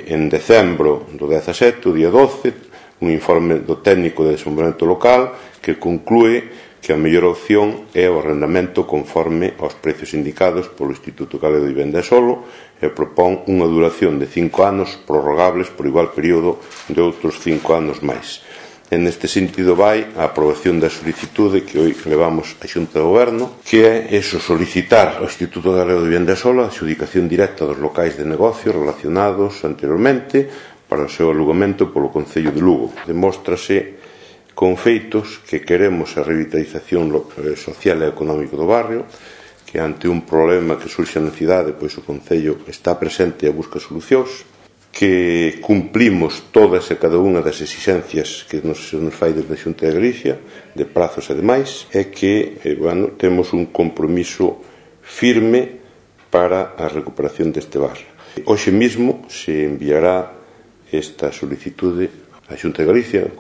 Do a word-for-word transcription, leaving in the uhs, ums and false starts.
En decembro do dezasete, o día doce, un informe do técnico de desenvolvemento local que conclúe que a mellor opción é o arrendamento conforme aos precios indicados polo Instituto Galego de Vivenda e Solo e propón unha duración de cinco anos prorrogables por igual período de outros cinco anos máis. En este sentido vai a aprobación da solicitude que hoy levamos á Xunta de Goberno, que é eso, solicitar ao Instituto Galego de Vivenda e Solo a adxudicación directa dos locais de negocio relacionados anteriormente para o seu alugamento polo Concello de Lugo. Demóstrase con feitos que queremos a revitalización social e económica do barrio, que ante un problema que surxe na cidade, pois o Concello está presente e busca solucións, que cumplimos todas e cada unha das exixencias que nos, nos fai desde a Xunta de Galicia, de prazos e demais, e que, eh, bueno, temos un compromiso firme para a recuperación deste barrio. Hoxe mesmo se enviará esta solicitude á Xunta de Galicia.